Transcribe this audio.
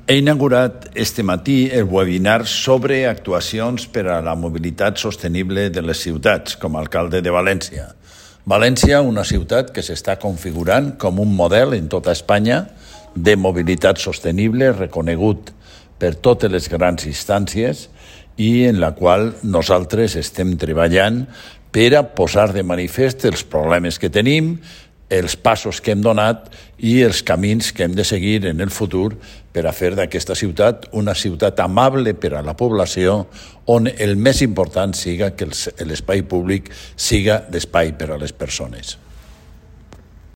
He inaugurat este matí el webinar sobre actuacions per a la mobilitat sostenible de les ciutats, com a alcalde de València. València, una ciutat que s'està configurant com un model en tota Espanya de mobilitat sostenible reconegut per totes les grans instàncies i en la qual nosaltres estem treballant per a posar de manifest els problemes que tenim, els passos que hem donat i els camins que hem de seguir en el futur per a fer d'aquesta ciutat una ciutat amable per a la població, on el més important siga que l'espai públic siga l'espai per a les persones.